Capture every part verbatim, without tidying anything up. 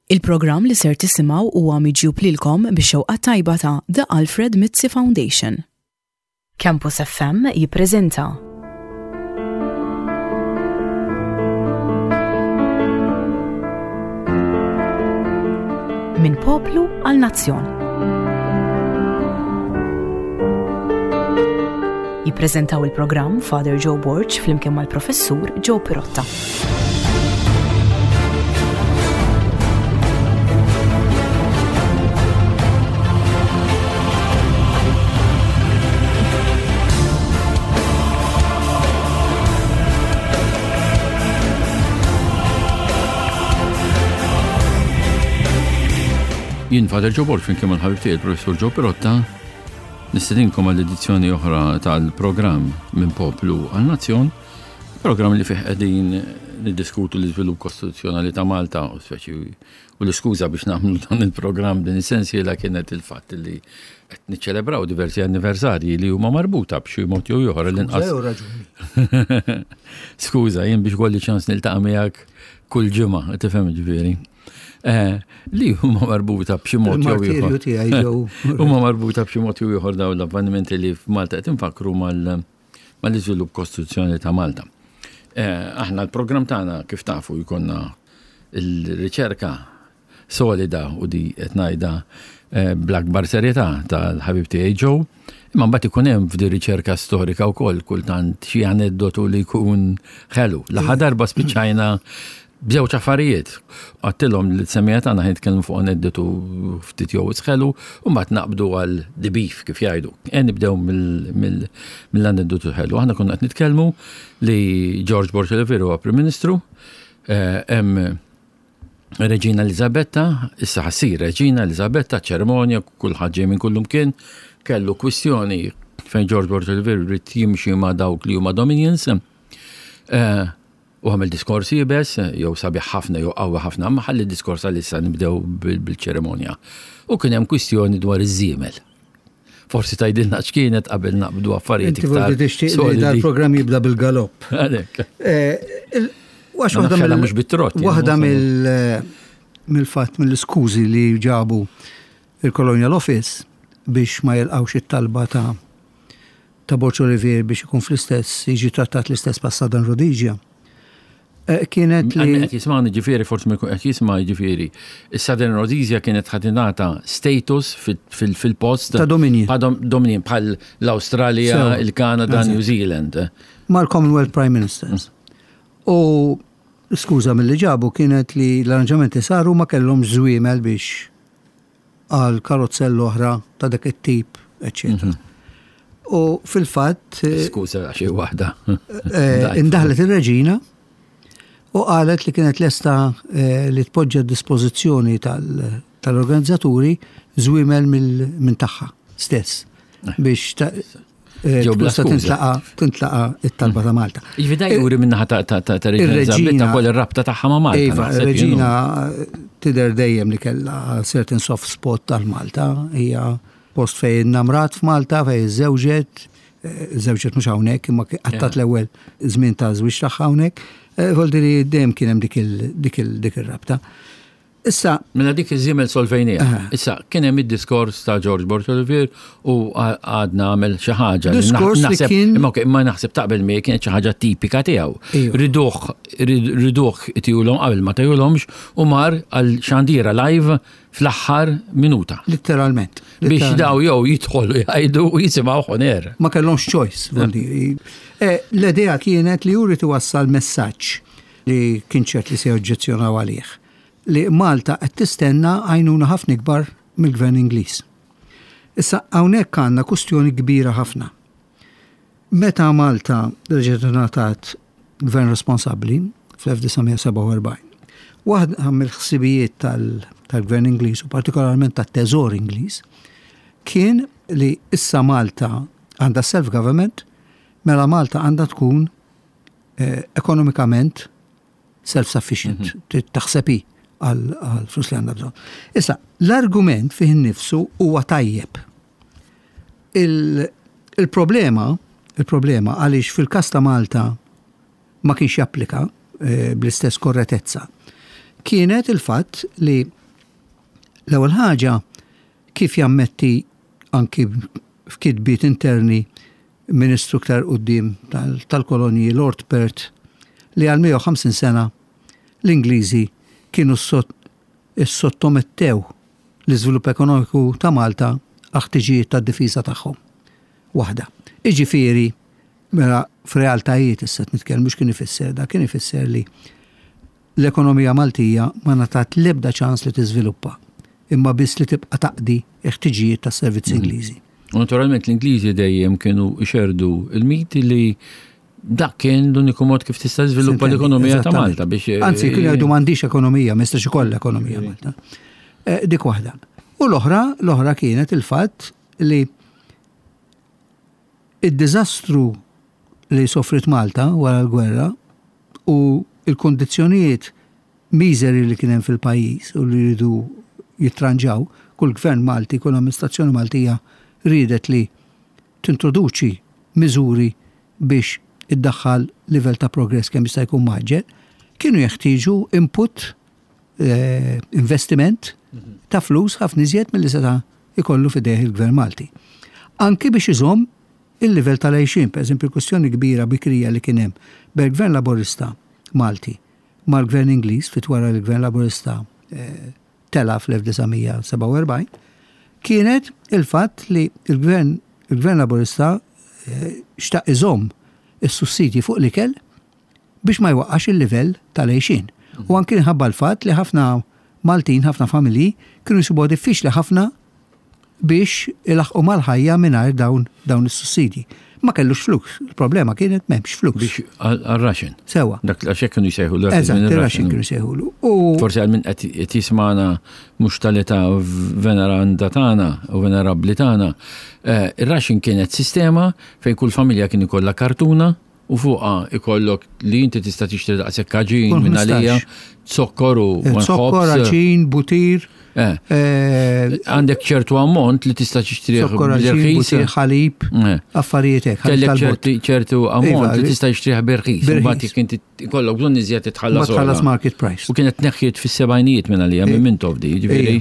Il-programm li ser tisimgħu huwa miġjub lilkom bix-xewqa tajba ta' The Alfred Mizzi Foundation. Campus F M jippreżenta Minn Poplu għal Nazzjon. Jippreżentaw il-programm Father Joe Borg flimkien mal-Professur Joe Pirotta. Jien Father Joe Borg flimkien mal-ħabib tiegħi il-Professur Joe Pirotta nistedinkom għall edizzjoni oħra tal-programm Minn Poplu għal Nazzjon, programm li fih qegħdin niddiskutu l-iżvilupp kostituzzjonali ta' Malta u speċi u l-iskuża biex nagħmlu dan il-programm din is-sensiela kienet il-fatt li qed niċċelebraw diversi anniversarji li huma marbuta b'xi mod jew ieħor l-inqas. Skuża, jien biex kolli ċans niltaqa' miegħek kull ġimgħa, tifhem ġifieri. Eh, li huma marbuta b'xi mod jew ieħor. Huma marbuta b'xi mod jew ieħor dawn l-avvenimenti li f'Malta qed infakru mal-iżvilupp kostituzzjoni ta' Malta. Eh, aħna l-programm tagħna, kif tafu, jkollna il-riċerka solida u di qed ngħidha eh, bl-akbar serjetà tal-ħabib tiegħi Joe, imma mbagħad ikun hemm f'di riċerka storika wkoll kultant xi aneddotu li jkun ħelu. L-aħħar darba spiċċajna b'żewġ affarijiet. Għedtilhom li t-semmiegħa tagħna ħa nitkellmu fuq aneddotu ftit jew ħelu u mbagħad naqbdu għal the beef, kif jgħidu. E nibdew mill-aneddotu ħelu. Aħna konna qed nitkellmu li George Borg Olivier huwa Prim Ministru, eh, hemm Reġina Elizabetta, issa ħa ssir Reġina Elizabetta, ċerimonja, kulħadd ġej minn kullum kien, kellu kwistjoni fejn George Borg Olivier irid jimxi ma' dawk li huma Dominions. Eh, u għamel diskors iebes, jew sabiħ ħafna jew qawwi ħafna, ma ħalli diskors għal-issa, nibdew bil-ċerimonja. U kien hemm kwistjoni dwar iż-żiemel. Forsi tgħidilna x'kienet qabel naqbdu affarijiet. Inti forsi tixtieq li dal-programm jibda bil-galopp. Għalhekk. Eh, għax waħda mill mhux bit-trott. Waħda mill-fatt mill-iskużi li ġabu il-Colonial Office biex ma jilqawx it-talba ta' ta' Borg Olivier biex ikun fl-istess, jiġi trattat l-istess bħal Southern Rhodesia. Eh, kienet li. Qed jismani ġifieri, forsi ma jkun qed jisma' ġifieri. Is-Southern Rhodesia kienet ħa tingħata status fil-post. Ta' Dominion. Ta' Dominion bħal l-Awstralja, il-Kanada, New Zealand. Mal-Commonwealth Prime Ministers. U skuża mill-li ġabu kienet li l-arranġamenti saru, ma kellhom żwiemel biex għal karozzell oħra ta' dak it-tip, eccetera. Mhm. U fil-fatt. Skuża xi waħda. Eh, indaħlet ir-reġina u qalet li kienet lesta eh, li tpoġġa dispożizzjoni tal-organizzaturi żwiemel minn tagħha stess eh. biex eh, tista' tintlaqa tintlaqa it-talba ta' Malta. Ġifieri juri minnaħa ta' ta' Reġina wkoll ir-rabta tagħha ma' Malta. Iva, Reġina tidher dejjem li kellha certain soft spot tal-Malta, hija post fejn namrat f'Malta, fejn żewġet, żewġet mhux hawnhekk, imma qattat l-ewwel żmien ta' żwieġ tagħha hawnhekk. Eh, Voldiri dejjem kien hemm dik ir-rabta. Issa. Mela dik iż-żiemel solvejnija. Issa, kien hemm id-diskors ta' George Borg Olivier u għadna għamel xi ħaġa. Diskors li kien. Imma imma naħseb taqbel mi kienet xi ħaġa tipika tiegħu. Riduh riduh itihulhom qabel, ma tahulhomx u mar għal xandira live fl-aħħar minuta. Literalment. Biex daw jew jidħolu jgħidu u jisimgħu on air. Ma kellhomx choice, voldiri. Eh, l-idea kienet li juri wassal messaġġ li kien ċert li se joġġezzjonaw għalih li Malta qed tistenna għajnuna ħafna ikbar mill-gvern Ingliż. Issa hawnhekk għandna kustjoni kbira ħafna. Meta Malta reġgħet ngħatat gvern responsabbli fl-elf disa' mija u sebgħa u erbgħin, waħda mill-ħsibijiet tal-gvern Ingliż u partikolarment tat-Teżor Ingliż kien li issa Malta għandha self-government, mela Malta għandha tkun eh, ekonomikament self-sufficient, mm -hmm. taħseb hi għal flus li għandha bżonn. Issa, l-argument fih innifsu huwa tajjeb. Il-problema, il-problema għaliex fil-kas ta' Malta ma kienx japplika eh, bl-istess korretezza, kienet il-fatt li L-ewwel ħaġa, kif jammetti anki f'kitbiet interni ministru ktar quddiem tal-kolonji Lord Perth li għal mija u ħamsin sena l-Ingliżi kienu sottomettew l-iżvilupp ekonomiku ta' Malta għal ħtiġijiet tad-difiża tagħhom. Waħda. Iġifieri, mela f'realtajiet issa nitkellmu, kien ifisser da kien ifisser li l-ekonomija Maltija ma ngħatat l-ebda ċans li tiżviluppa, imma biss li tibqa' taqdi ħtiġijiet tas-servizzi mhm. Ingliżi. U naturalment l-Ingliżi dejjem kienu xerdu il-miti li dak kien l-uniku mod kif tista' żviluppa l-ekonomija ta' Malta biex eh, Anzi, kienu jgħidu m'għandix ekonomija, ma jistax ikollha ekonomija Malta. Eh, dik waħda. U l-oħra, l-oħra kienet il-fatt li id-diżastru li sofrit Malta wara l-gwerra u il-kondizzjonijiet miżeri li kien hemm fil-pajjiż u li rridu jitranġaw, kull gvern Malti, kull amministrazzjoni Maltija ridet li tintroduċi miżuri biex iddaħħal livell ta' progress kemm jista' jkun mgħaġġel, kienu jeħtieġu input, eh, investiment ta' flus ħafna iżjed milli seta' ikollu f'idejh il-gvern Malti. Anki biex iżomm il-livell tal-għajxien, per eżempju, kwestjoni kbira bikrija li kien hemm bejn gvern Laburista Malti mal-gvern Ingliż fit wara l-gvern Laburista eh, tela fl-elf disa' mija sebgħa u erbgħin, kienet il-fatt li il-gvern il-gvern Laburista eh, xtaq iżomm is-sussidji fuq l-ikel biex ma jwaqqax il-livell tal-għajxien. U anki nħabba l-fatt li ħafna Maltin, ħafna familji kienu jsibuha diffiċli ħafna biex ilaħqu mal-ħajja mingħajr dawn dawn is-sussidji. Ma kellux flus, il-problema kienet m'hemmx flus. Biex għal-ration. Sewa. Dak għax hekk kienu jsejħu l Eżatt, ir-ration kienu jsejħulu. U forsi għal min qed jismana mhux tal-età veneranda tagħna u venerabbli tagħna, eh, ir-ration kienet sistema fejn kull familja kien ikollha kartuna u fuqha ikollok li inti tista' tixtri daqshekk għaġin minn għalija, zokkor u Zokkor, għaġin, butir. Eh. Eh, għandek ċertu ammont li tista' tixtri. Zokkor, għaġin, butir, ħalib, eh. affarijiet hekk. Kellek ċertu ammont li tista' tixtrih b'irħis. Imbagħad jekk inti ikollok bżonn iżjed titħallas. Tħallas market price. U kienet tneħħiet fis-sebgħinijiet minn għalija minn Mintoff di, ġifieri.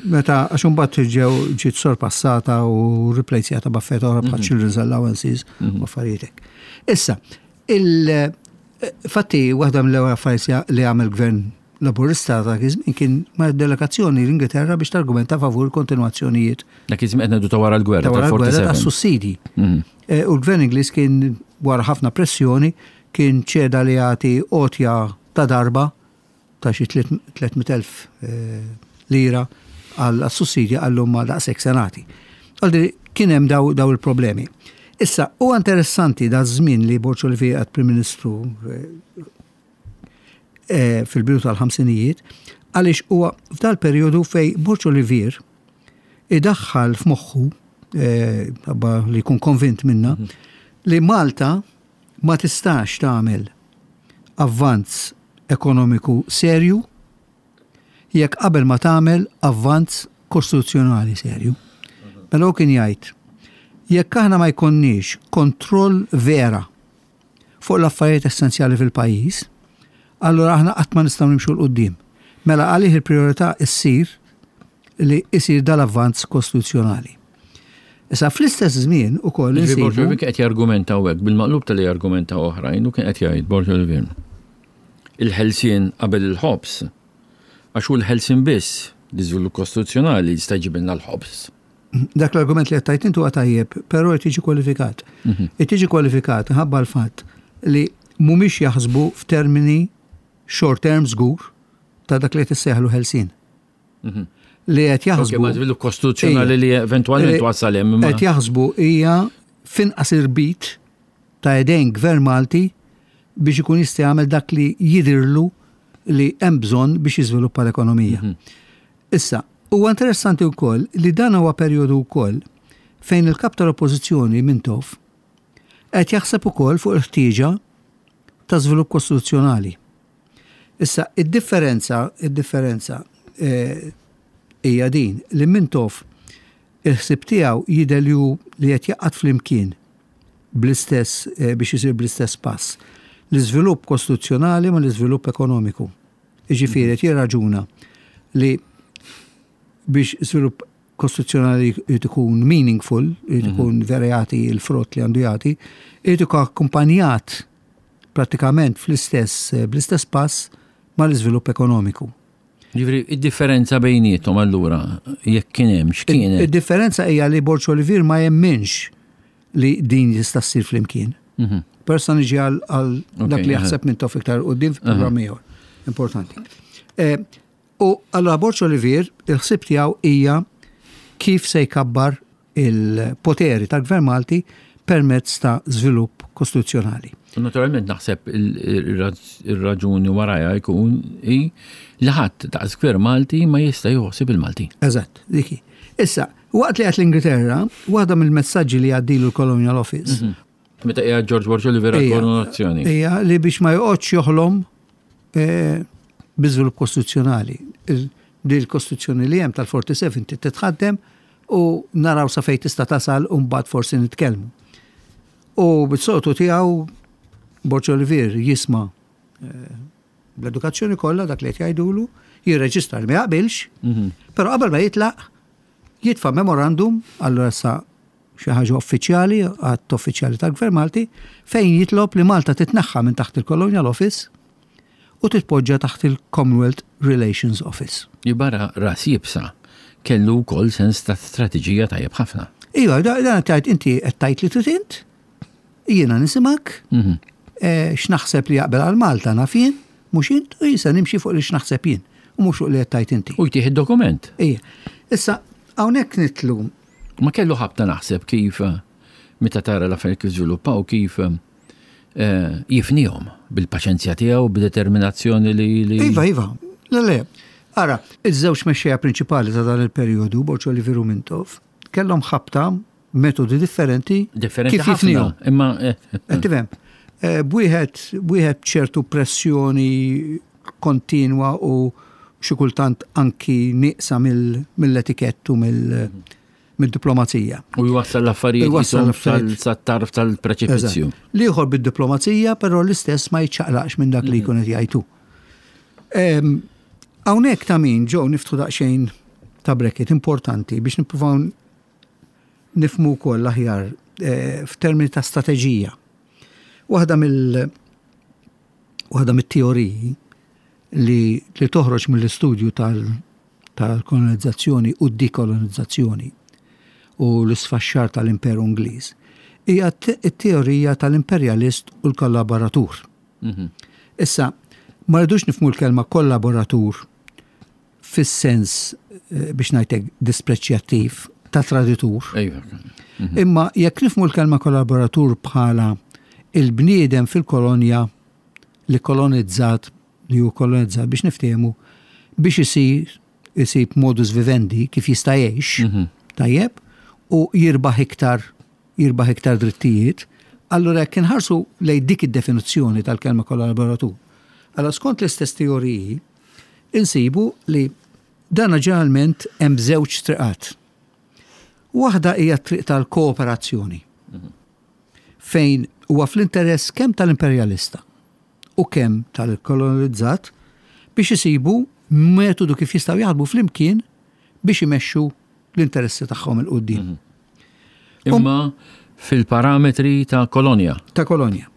Meta għax imbagħad ġew ġiet sorpassata u replacjata b'affarijiet oħra bħal mhm. children's allowances u mhm. affarijiet hekk. Issa, il-fatti waħda mill-ewwel affarijiet li għamel gvern Laburista ta' iż-żmien kien ma' delegazzjoni l-Ingilterra biex targumenta favur kontinuazzjonijiet. Dak iż-żmien qed ngħidu ta' wara l-gwerra. Ta' wara l-gwerra ta' sussidi. Mhm. Eh, u l-gvern Ingliż kien wara ħafna pressjoni kien ċeda li jagħti għotja ta' darba ta' xi tliet mitt elf eh, lira għal sussidji għallum ma daqshekk senati. Għaldi kien hemm daw, daw il-problemi. Issa, huwa interessanti da żmien li Borg Olivier għad Prim Ministru eh, eh, fil-bidu tal-ħamsinijiet, għaliex huwa f'dal periodu fej Borg Olivier idaħħal f'moħħu, eh, li jkun konvint minna, mhm. li Malta ma tistax tagħmel avvanz ekonomiku serju jekk qabel ma tagħmel avvanz kostituzzjonali serju. Mhm. Mela kien jgħid jekk aħna ma jkonniex kontroll vera fuq l-affarijiet essenzjali fil-pajjiż, allura aħna qatt ma nistgħu nimxu 'l quddiem. Mela għalih il-priorità issir li isir dal-avvanz kostituzzjonali. Issa fl-istess żmien ukoll Borg Olivier qed jargumenta hekk bil-maqlub tal jargumenta oħrajn u kien qed jgħid Borg Olivier. Il-ħelsien qabel il-ħobs, għax hu l-ħelsien biss l-iżvilupp kostituzzjonali jista' jġibilna l-ħobs. Dak l-argument li għattajt intu tajjeb, però qed jiġi kwalifikat. Mhm. Qed jiġi kwalifikat ħabba l-fatt li mhumiex jaħsbu f'termini short term żgur ta' dak li qed issejħlu ħelsien. Mhm. Li qed jaħsbu. Ma żvilupp kostituzzjonali li eventwalment wassal hemm. Qed jaħsbu hija finqas irbit ta' idejn gvern Malti biex ikun jista' jagħmel dak li jidirlu li hemm bżonn biex jiżviluppa l-ekonomija. Mhm. Issa, huwa interessanti wkoll li dan huwa perjodu wkoll fejn il-kap tal-Oppożizzjoni Mintoff qed jaħseb ukoll fuq il-ħtieġa ta' żvilupp kostituzzjonali. Issa, id-differenza, id-differenza eh, hija din li Mintoff il-ħsib tiegħu jidher li hu li qed jaqgħad flimkien bl-istess eh, biex isir bl-istess pass. L-iżvilupp kostituzzjonali ma l-iżvilupp ekonomiku. Jiġifieri qed jirraġuna li Biex żvilupp kostituzzjonali jrid ikun meaningful, jrid ikun vera jagħti l-frott li għandu jagħti, jrid ikun akkumpanjat prattikament fl-istess bl-istess pass mal-iżvilupp ekonomiku. Ġifieri, id-differenza bejniethom allura, jekk kien hemm, x'kienet? Id-differenza hija li Borg Olivier ma jemminx li din jista' ssir flimkien. Mhm. Persa niġi għal għal dak li aha. jaħseb Mintoff iktar quddiem fil-programm ieħor. Importanti. Eh, U allura Borg Olivier, il-ħsib tiegħu hija kif se jkabbar il-poteri tal-Gvern Malti permezz ta' żvilupp kostituzzjonali. Naturalment naħseb il-raġuni warajha jkun i li ħadd daqs gvern Malti ma jista' joħsib il-Malti. Eżatt, diki. Issa, waqt li għat l-Ingilterra, waħda mill-messaġġi li għaddilu l-Colonial Office Meta qiegħed George Borg Olivier Ija. koronazzjoni. hija li biex ma joqgħodx joħlom eh, bi żvilupp kostituzzjonali. Il- Di l-kostituzzjoni li hemm tal-erbgħa u erbgħin titħaddem u naraw sa fejn tista' tasal u mbagħad forsi nitkellmu. U bit-soltu tiegħu Borg Olivier jisma' eh, bl-edukazzjoni kollha dak li qed jgħidulu, jirreġistra li ma jaqbilx, Mhm. però qabel ma jitlaq jitfa' memorandum allura sa xi ħaġa uffiċjali, għadd uffiċjali tal-Gvern Malti, fejn jitlob li Malta titneħħa minn taħt il-Colonial Office u titpoġġa taħt il-Commonwealth Relations Office. Jibara ras iebsa kellu wkoll sens ta' strateġija tajjeb ħafna. Iva, da- dan tajt inti qed tajt li trid int, jiena nisimak, Mhm. eh, x'naħseb li jaqbel għal Malta naf jien, mhux int, u jisa nimxi fuq li x'naħseb jien, u mhux fuq li qed tajt inti. U jtih id-dokument. Ija. Issa, hawnhekk nitlu Ma kellu ħabta naħseb kif eh, meta tara l-affarijiet kif żviluppaw kif eh, jifnihom bil-paċenzja tiegħu, b'determinazzjoni li li Iva, iva, le, le. Ara, iż-żewġ mexxejja prinċipali ta' dan il-perjodu, Borg Olivier u Mintoff, kellhom ħabta metodi differenti differenti kif ħafna. jifnihom. Imma eh, Qed tifhem? Eh, Bwieħed bwieħed ċertu pressjoni kontinwa u xi kultant anki nieqsa mill- mill-etikett u mill- mid-diplomazija. u jwassal l-affarijiet Jwassal jisom l-affarijiet. sat-tarf tal-preċipizju. Eżatt. L-ieħor bid-diplomazija, però l-istess ma jiċċaqlaqx minn dak li jkun qed jgħidu. Em, Hawnhekk ta' min ġew niftħu daqsxejn ta' bracket importanti biex nippruvaw nifhmu wkoll aħjar eh, f'termini ta' strateġija. Waħda mill waħda mit-teoriji li, li toħroġ mill-istudju tal- tal-kolonizzazzjoni u d-dekolonizzazzjoni u l-isfaxxar tal-Imperu Ingliż hija t-teorija tal-imperjalist u l-kollaboratur. Mhm. Issa, ma rridux nifhmu l-kelma kollaboratur fis-sens eh, biex ngħidlek dispreċjattiv ta' traditur. Ejwa. Imma jekk nifhmu l-kelma kollaboratur bħala il-bniedem fil-kolonja li kolonizzat, li hu kolonizzat biex niftehmu biex isir isib modus vivendi kif jista' jgħix, Mhm. tajjeb, u jirbaħ iktar jirbaħ iktar drittijiet, allura jekk inħarsu lejn dik id-definizzjoni tal-kelma kollaboratur. Allora skont l-istess teoriji, insibu li dana ġeneralment hemm żewġ triqat. Waħda hija triq tal-kooperazzjoni, fejn huwa fl-interess kemm tal-imperjalista u kemm tal-kolonizzat biex isibu metodu kif jistgħu jaħdmu flimkien biex imexxu l-interessi tagħhom 'il quddiem. Imma fil-parametri ta' kolonja. Ta' kolonja.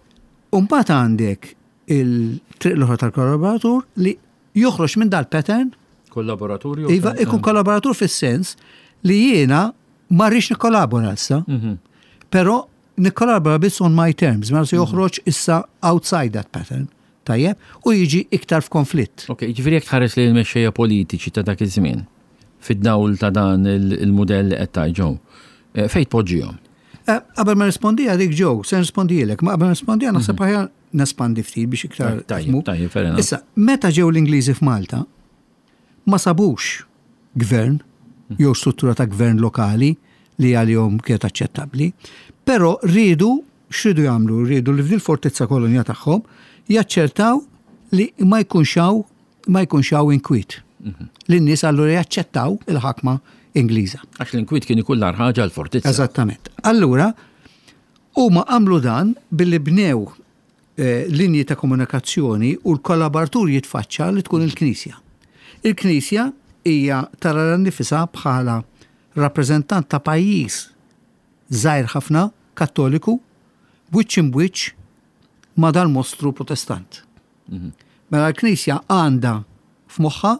Umbagħad għandek il-triq l-oħra tal-kollaboratur li joħroġ minn dal-pattern. Kollaboratur jew Iva, ikun kollaboratur fis-sens li jiena ma rridx nikkollabora issa, Mhm. però nikkollabora biss on my terms, ma se joħroġ issa outside that pattern, tajjeb, u jiġi iktar f'konflitt. Ok, ġifieri jekk tħares li l-mexxejja politiċi ta' dak iż-żmien fid-dawl ta' dan il- il-mudell li qed tgħid eh, fejn tpoġġihom? Eh, Qabel ma rispondi għadik ġew, se nirrispondilek, ma qabel ma rispondi naħseb aħjar nespandi ftit biex iktar. Tajjeb, tifhmu. tajjeb, fair enough. Issa, meta ġew l-Ingliżi f'Malta, ma sabux gvern jew struttura ta' gvern lokali li għalihom kienet aċċettabbli, però rridu x'ridu jagħmlu, rridu li f'dil fortizza kolonja tagħhom jaċċertaw li ma jkunx hawn ma jkunx hawn inkwiet. Li n-nies allura jaċċettaw il-ħakma Ingliża. Għax l-inkwiet kien ikun l ħaġa l-fortizza. Eżattament. Allura, huma għamlu dan billi bnew eh, linji ta' komunikazzjoni u l-kollaboratur jitfaċċa li tkun il-Knisja. Il-Knisja hija tara nifisha bħala rappreżentant ta' pajjiż żgħir ħafna, Kattoliku, b'wiċċ imbwiċċ ma' dal-mostru Protestant. Mhm. Mela l-Knisja għandha f'moħħha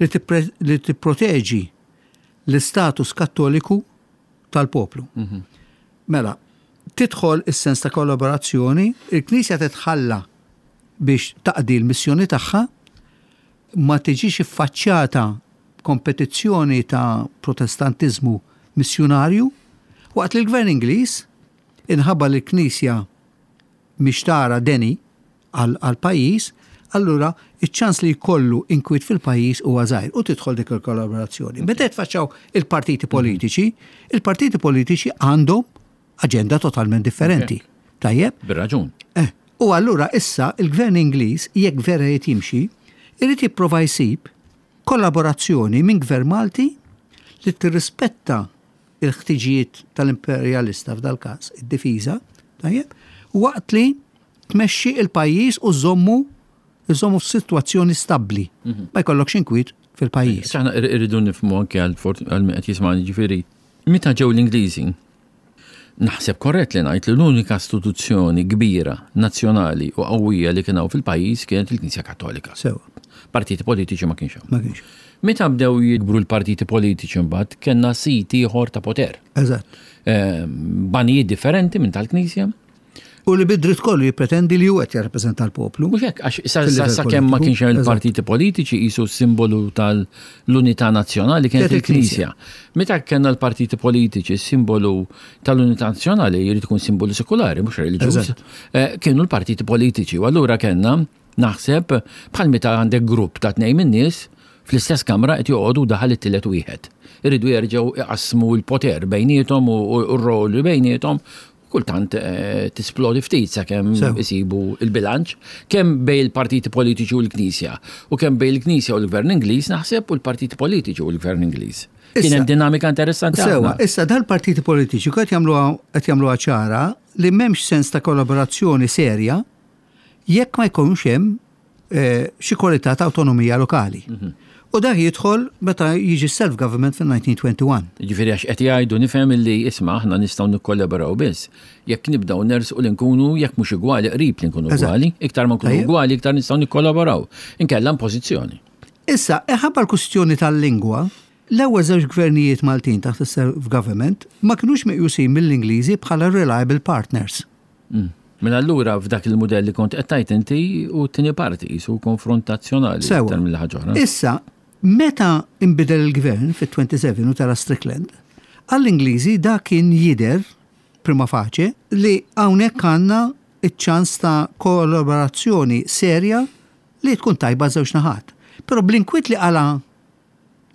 li tippre- li tipproteġi l-istatus Kattoliku tal-poplu. Mhm. Mela, tidħol is-sens ta' kollaborazzjoni, il-Knisja titħalla biex taqdi l-missjoni tagħha, ma tiġix iffaċċjata kompetizzjoni ta' Protestantiżmu missjunarju, waqt li l-Gvern Ingliż inħabba li l-Knisja mhix tara deni għal pajjiż, allura iċ-ċans li jkollu inkwiet fil-pajjiż huwa żgħir u tidħol dik il-kollaborazzjoni. Meta tfaċċaw il-partiti politiċi, il-partiti politiċi għandhom aġenda totalment differenti. Tajjeb? Bir-raġun. Eh, u allura issa il-Gvern Ingliż, jekk vera jrid jimxi, irid jipprova jsib kollaborazzjoni minn Gvern Malti li tirrispetta il-ħtiġijiet tal-imperjalista f'dal każ, id-difiża, tajjeb, waqt li tmexxi il-pajjiż u żommu żommu f'sitwazzjoni stabbli. Ma jkollokx inkwiet fil-pajjiż. Aħna irridu nifhmu anke għal għal min qed jisma'ni, ġifieri, meta ġew l-Ingliżi, naħseb korrett li ngħid li l-unika istituzzjoni kbira, nazzjonali u qawwija li kien hawn fil-pajjiż kienet il-Knisja Kattolika. Sewa, Partiti politiċi ma kienx hawn. Ma kienx. Meta bdew jikbru l-partiti politiċi mbagħad kellna sit ieħor ta' poter. Eżatt. Ehm, Banijiet differenti minn tal-Knisja. U li bid-dritt kollu jippretendi li hu qed jirrappreżenta l-poplu. Mhux hekk, għax sa, sa, Fil-livell sa kemm ma politiku, kienx hemm eżatt. il-partiti politiċi qisu simbolu tal-unità nazzjonali kienet Kienet il-Knisja. Meta kellna l-partiti politiċi, simbolu tal-unità nazzjonali jrid ikun simbolu sekulari, mhux reliġjuż. Eżatt. Eh, Kienu l-partiti politiċi u allura kellna, naħseb, bħal meta għandek grupp ta' tnejn min-nies fl-istess kamra qed joqogħdu, daħal it-tielet wieħed. Iridu jerġgħu iqassmu l-poter bejniethom u u r-roli bejniethom, kultant eh, tisplodi ftit sakemm Sew. isibu il-bilanċ kemm bejn il-partiti politiċi u l-Knisja u kemm bejn il-Knisja u l-Gvern Ingliż, naħseb, u l-partiti politiċi u l-Gvern Ingliż. Kien Issa- hemm dinamika interessanti Sewa, ħafna. issa dal-partiti politiċi qed jagħmluha qed jagħmluha ċara li m'hemmx sens ta' kollaborazzjoni serja jekk ma jkunx hemm eh, xi kwalità ta' awtonomija lokali. U dak jidħol meta jiġi self-government fil-elf disa' mija u wieħed u għoxrin. Ġifieri għax qed jgħidu, nifhem, illi isma', aħna nistgħu nikkollaboraw biss jekk nibdew nersqu li nkunu, jekk mhux igwali, qrib li nkunu Eżatt. ugwali, iktar ma nkunu Tajjeb. ugwali, iktar nistgħu nikkollaboraw. Inkella pożizzjoni. Issa, ħabba l-kustjoni tal-lingwa, l-ewwel żewġ gvernijiet Maltin taħt is-self-government ma kinux meqjusin mill-Ingliżi bħala reliable partners. Mm. Mela allura f'dak il-mudell li kont qed tajt inti u t-tieni parti qisu konfrontazzjonali Sewa. iktar mill ħaġa oħra. Issa, meta imbidel il-gvern fit-sebgħa u tletin u tela' Strickland, għall-Ingliżi da kien jidher prima facie li hawnhekk għandna iċ-ċans ta' kollaborazzjoni serja li tkun tajba żewġ naħat. Però bl-inkwiet li qala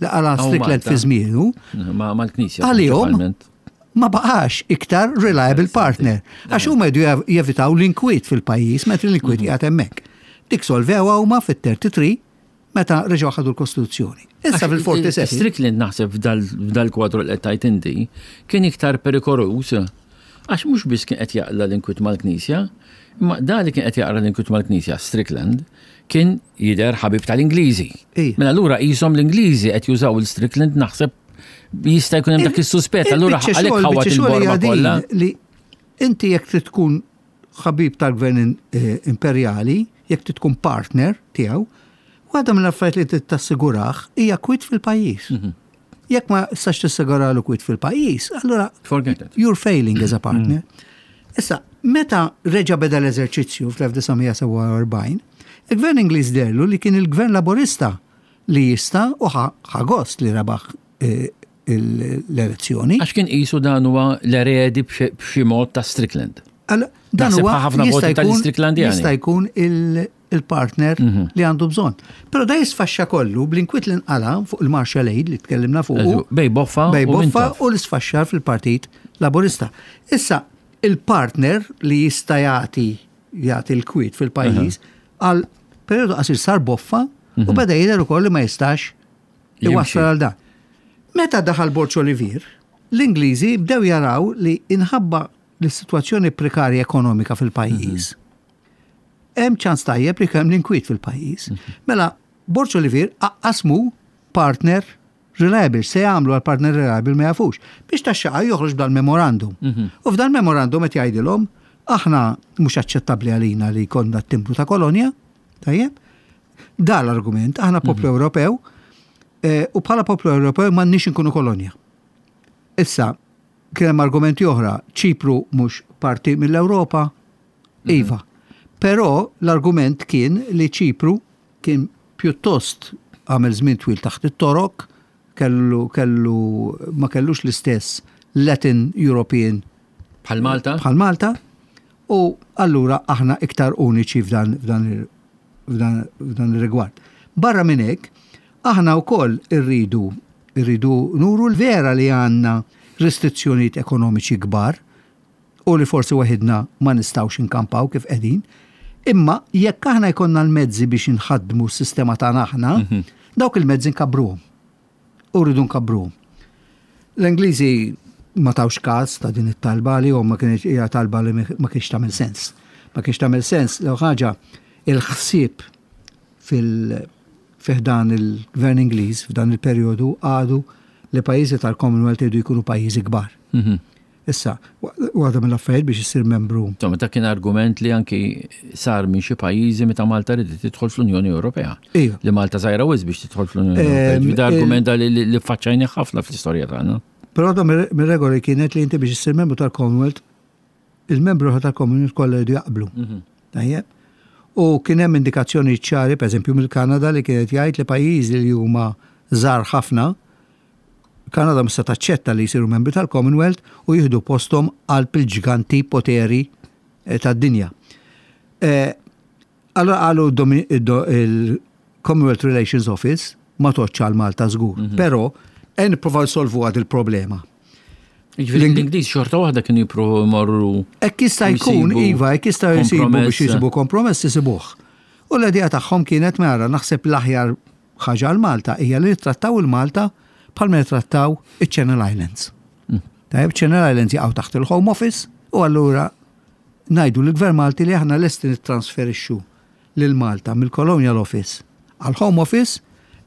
li qala Hawn Strickland Malta. fi żmienu, Ma mal-Knisja. Għalihom, prinċipalment. ma baqax iktar reliable partner. Għax huma jdu jev- jevitaw l-inkwiet fil-pajjiż, meta l-inkwiet qiegħed hemmhekk. Dik solvewha huma fit-tlieta u tletin meta reġgħu ħadu l-Kostituzzjoni. Issa fil-sebgħa u erbgħin. Strickland, naħseb, f'dal- f'dal-kwadru li qed tajt inti kien iktar perikoluż għax mhux biss kien qed jaqla l-inkwiet mal-Knisja, imma da li kien qed jaqra l-inkwiet mal-Knisja, Strickland, kien jidher ħabib tal-Ingliżi. Ija. Mela allura qishom l-Ingliżi qed jużaw il-Strickland, naħseb jista' jkun hemm dak is-suspett, allura Il-biċċa għalhekk xogħol- ħawat biċċa xogħol il-borma hija din kollha. li inti jekk trid tkun ħabib tal-gvern eh, imperjali, jekk trid tkun partner tiegħu, waħda mill-affarijiet li trid tassigurah hija kwiet fil-pajjiż. Mhm. Jekk ma tistax tassiguralu kwiet fil-pajjiż, allura Forget it. you're failing as a partner. Issa, meta reġa beda l-eżerċizzju fl-elf disa' mija u sebgħa u erbgħin, il-gvern Ingliż deherlu li kien il-gvern Laborista li jista' u ħa ħa gost li rebaħ eh, il- l-elezzjoni. Għax kien qisu dan huwa l-eredi b'xi b'xi mod ta' Strickland. Alla, dan Naħseb huwa ħafna jista' voti jkun tal-Stricklandjani. jista' jkun il- il-partner li għandu bżonn. Però da jisfaxxa kollu bl-inkwiet li nqala fuq il-Marshall Aid li tkellimna fuq. Bejn Boffa Bejn u Boffa Mintoff. u l-isfaxxar fil-Partit Laborista. Issa, il-partner li jista' jagħti jagħti l-kwiet fil-pajjiż għal periodu qasir sar Boffa u beda jidher ukoll li ma jistax Jimxi. iwassal għal dan. Meta daħal Borg Olivier, l-Ingliżi bdew jaraw li inħabba l-situazzjoni prekarja ekonomika fil-pajjiż. Hemm ċans tajjeb li kemm l-inkwiet fil-pajjiż. Mela, Borg Olivier qasmu partner reliable. Se jagħmlu għal partner reliable ma jafux. Biex tax-xaqa joħroġ dal-memorandum. Mhm. U f'dal memorandum qed jgħidilhom aħna mhux aċċettabbli għalina li jkollna t-timbru ta' kolonja, tajjeb? Da l-argument, aħna poplu Mhm. Ewropew eh, u bħala poplu Ewropew m'għandniex inkunu kolonja. Issa, kien hemm argumenti oħra, Ċipru mhux parti mill-Ewropa, Mhm. iva. Però l-argument kien li Ċipru kien pjuttost għamel żmien twil taħt it-Torok, kellu, kellu ma kellux l-istess Latin European Bħal Malta? bħal Malta u allura aħna iktar uniċi f'dan f'dan ir- f'dan f'dan ir-rigward. Barra minn hekk, aħna wkoll irridu irridu nuru l-vera li għandna restrizzjonijiet ekonomiċi kbar u li forsi waħidna ma nistgħux inkampaw kif qegħdin, imma jekk aħna jkollna l-mezzi biex inħaddmu s-sistema tagħna aħna, dawk il-mezzi nkabruhom. U rridu nkabruhom. L-Ingliżi ma tawx każ ta' din it-talba li ma kienx hija talba li ma kienx tagħmel sens. Ma kienx tagħmel sens l ħaġa il-ħsieb fil fi ħdan il-gvern Ingliż f'dan il-perjodu għadu li pajjiżi tal-Commonwealth jridu jkunu pajjiżi kbar. Mhm. Issa, waħda mill-affarijiet biex issir membru Insomma, dak kien argument li anki sar minn xi pajjiżi meta Malta ridet tidħol fl-Unjoni Ewropea. Iva. Li Malta żgħira wisq biex tidħol fl-Unjoni Ewropea. Ehm, Ġifieri da argument li li- li faċċajni ħafna fl-istorja tagħna. Però waħda mir-regoli kienet li inti biex issir membru tal-Commonwealth, il-membru tal-Commonwealth kollha jridu jaqblu. Tajjeb? U kien hemm indikazzjoni ċari, pereżempju mill-Kanada li kienet jgħid li pajjiżi li huma żgħar ħafna, Kanada mista taċċetta li jsiru membri tal-Commonwealth u jieħdu posthom qalb il-ġganti poteri eh, tad-dinja. Eh, Allora qalu domi- id- il-Commonwealth Relations Office ma toċċa għal Malta żgur, però en nipprovaw solvu għad il-problema. Ġifieri l-Ingliż xorta waħda kienu jippruvaw imorru Hekk jista' jkun, Jisibu iva, hekk jista' jsibu biex kompromess. jisibu kompromess jisibuh. U l-idea tagħhom kienet mara naħseb l-aħjar ħaġa għal Malta hija li nittrattaw il-Malta bħalma nittrattaw iċ-Channel Islands. Tajjeb, Channel Islands jaqgħu taħt il-Home Office u allura ngħidu l-Gvern Malti li aħna lesti nittransferixxu lil Malta mill-Colonial Office għal Home Office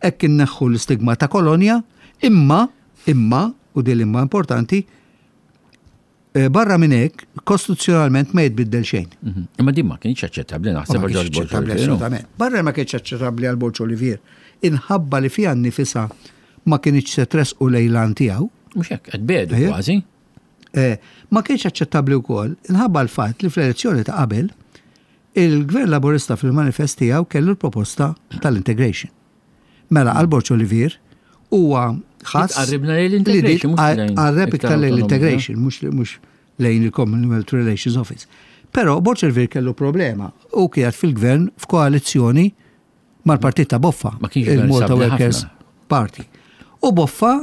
hekk inneħħu l-istigma ta' kolonja, imma imma u din l-imma importanti eh, barra minn hekk kostituzzjonalment ma jitbiddel xejn. Mhm. Imma din ma kienx aċċettabbli naħseb Ma għal kienx George Borg aċċettabbli Olivier, no? assolutament. Barra ma kienx aċċettabbli għal Borg Olivier. Inħabba li fiha nnifisha ma kienx se tresqu lejlan tiegħu, Mhux hekk, qed bedu Ejja. kważi. Eh, ma kienx aċċettabbli wkoll inħabba l-fatt li fl-elezzjoni ta' qabel il-Gvern Laburista fil-manifest tiegħu kellu l-proposta tal-integration. Mela għal Borg Olivier huwa ħass Tqarribna lejn l-integration, mhux lejn Qarreb iktar iktar lejn autonomija. l-integration, mhux mhux lejn il-Commonwealth Relations Office. Però Borg Olivier kellu problema u kienet fil-gvern f'koalizzjoni mal-partit ta' Boffa, Ma kienx gvern il-Malta stabbli Workers ħafna. Party. U Boffa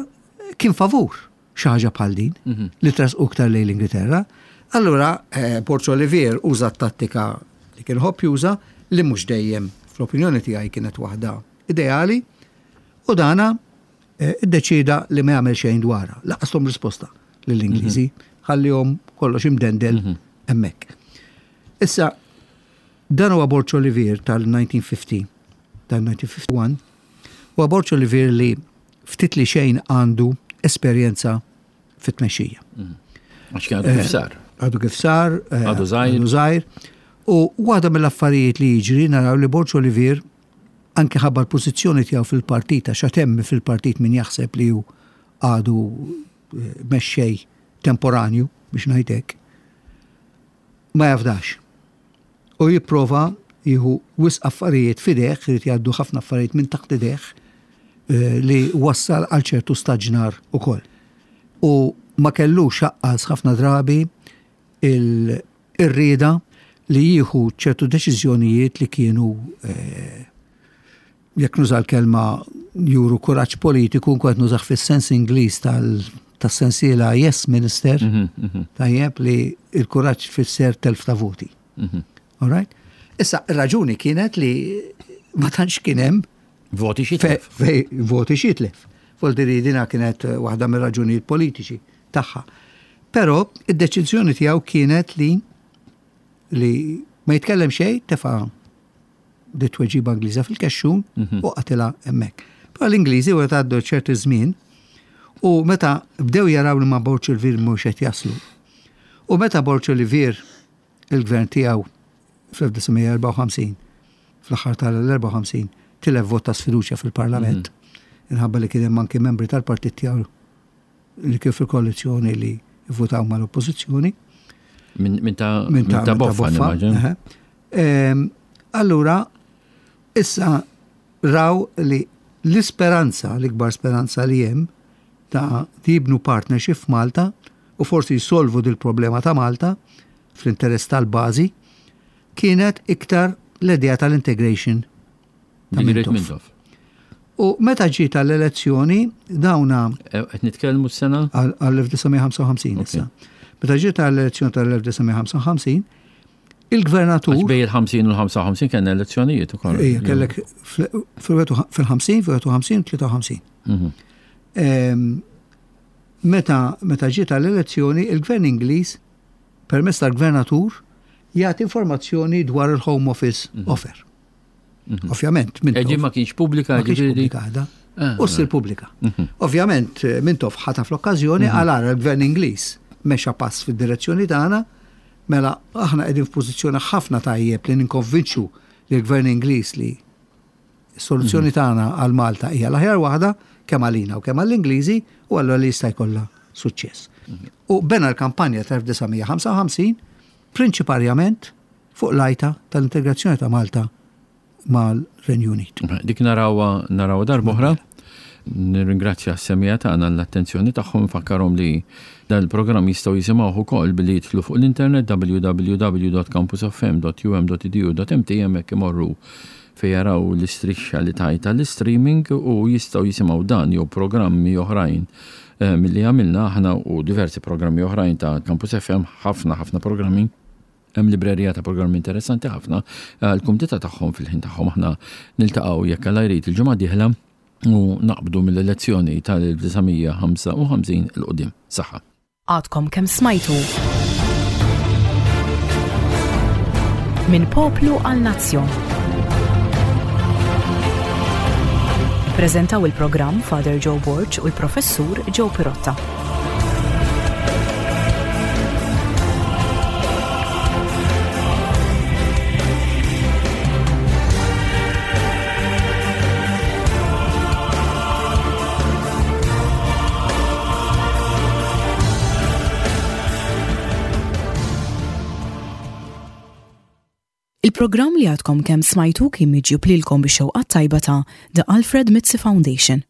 kien favur xi ħaġa bħal din Mhm. li trasqu iktar lejn l-Ingilterra. Allura eh, Borg Olivier uża t-tattika li kien ħobb juża li mhux dejjem fl-opinjoni tiegħi kienet waħda ideali u dana eh, iddeċida li ma jagħmel xejn dwarha. Laqashom risposta lill-Ingliżi, ħallihom kollox imdendel hemmhekk. Issa, dan huwa Borg Olivier tal-elf disa' mija u ħamsin, tal-elf disa' mija u wieħed u ħamsin, huwa Borg Olivier li ftit li xejn għandu esperjenza fit-tmexxija. Għax kien għadu kif sar. Għadu kif sar, eh, Għadu żgħir. Għadu żgħir. U waħda mill-affarijiet li jiġri naraw li Borg Olivier anke ħabba l-pożizzjoni tiegħu fil-partit għax għad hemm fil-partit min jaħseb li hu għadu eh, mexxej temporanju biex ngħidlek ma jafdax. U jipprova jieħu wisq affarijiet f'idejh, irid jgħaddu ħafna affarijiet minn taħt idejh eh, li wassal għal ċertu staġnar ukoll. U ma kellux xaqqas ħafna drabi il- ir-rieda li jieħu ċertu deċiżjonijiet li kienu eh, jekk nuża l-kelma juru kuraġġ politiku, nkun qed nużah fis-sens Ingliż tal- tas-sensiela Yes Minister, Mhm, mhm, tajjeb li il-kuraġġ fisser telf ta' voti. mhm. All right? Issa, ir-raġuni kienet li ma tantx kien hemm Voti xi fe- telf. fej voti xitlef. Voldiri dina kienet eh, waħda mir-raġunijiet politiċi tagħha. Però id-deċiżjoni tiegħu kienet li li ma jitkellem xejn tefa' di tweġiba Ingliża fil-kexxun Mhm. u qatilha hemmhekk. Pa l-Ingliżi wara għaddu ċertu żmien u meta bdew jaraw li ma' Borg Olivier mhux qed jaslu. U meta Borg Olivier il-gvern tiegħu fl-elf disa' mija erbgħa u ħamsin, fl-aħħar tal-erbgħa u ħamsin, tilef vot ta' sfiduċja fil-Parlament, Mhm. inħabba li kien hemm anki membri tal-partit tiegħu li kien fil-koalizzjoni li votaw mal-oppożizzjoni. Min, min ta' Min ta' min ta' Boffa, Boffa, nimmaġina. eħe. Ehm, allura, issa raw li l-isperanza, l-ikbar speranza li hemm ta' li jibnu partnership f'Malta u forsi jsolvu dil-problema ta' Malta fl-interess tal-bażi, kienet iktar l-idea tal-integration ta' The Great Mintoff. Mintoff. U meta ġiet għall-elezzjoni, dawna Eh, qed nitkellmu s-sena? għal-, għall-elf disa' mija ħamsa u ħamsin Ok. issa. Meta ġiet għall-elezzjoni tal-elf disa' mija ħamsa u ħamsin, il-gvernatur Għax bejn il-ħamsin u l-ħamsa u ħamsin kellna elezzjonijiet ukoll. Ejja, kellek fl-, fil-, fil-ħamsin, fil-wieħed u ħamsin, tlieta u ħamsin. Mhm. Ehm, meta, meta ġiet għall-elezzjoni, il-gvern Ingliż, permezz tal-gvernatur, jagħti informazzjoni dwar il-Home Office Mhm. offer. Mhm. Ovvjament, Mintoff. Eġi ma kienx pubblika, Ma kienx ġifieri? pubblika għadha. Ah, U ssir pubblika. Mhm. Ovvjament, Mintoff ħataf l-okkażjoni Mhm. għal ara l-gvern Ingliż mexa pass fid-direzzjoni tagħna, mela aħna qegħdin f'pożizzjoni ħafna tajjeb li ninkonvinċu lill-gvern Ingliż li s-soluzzjoni Mhm. tagħna għal Malta hija l-aħjar waħda kemm għalina u kemm għall-Ingliżi u allura li jista' jkollha suċċess. Mhm. U bena l-kampanja tal-elf disa' mija ħamsa u ħamsin prinċiparjament fuq l-għajta tal-integrazzjoni ta' Malta mal-Renju Unit. Dik narawha, narawha darb'oħra. Nirringrazzja s-semija tagħna l-attenzjoni tagħhom, nfakkarhom li dan il-programm jistgħu jisimgħuh ukoll billi jidħlu fuq l-internet w w w dot campus f m dot u m dot e d u dot m t, hemmhekk imorru fejn jaraw l-istrixxa li tajta l-streaming u jistgħu jisimgħu dan jew programmi oħrajn, eh, milli għamilna aħna u diversi programmi oħrajn ta' Campus F M, ħafna ħafna programmi. Hemm librerija ta' programmi interessanti ħafna għall-kumdità tagħhom fil-ħin tagħhom. Aħna niltaqgħu jekk Alla jrid il-ġimgħa dieħla u naqbdu mill-elezzjoni tal-elf disa' mija ħamsa u ħamsin il qudiem. Saħħa. Għadkom kemm smajtu. Minn poplu għal nazzjon. Prezentaw il-programm Father Joe Borg u l-Professur Joe Pirotta. Il-programm li għadkom kemm smajtu kien miġjub lilkom bix-xewqa tajba ta' The Alfred Mizzi Foundation.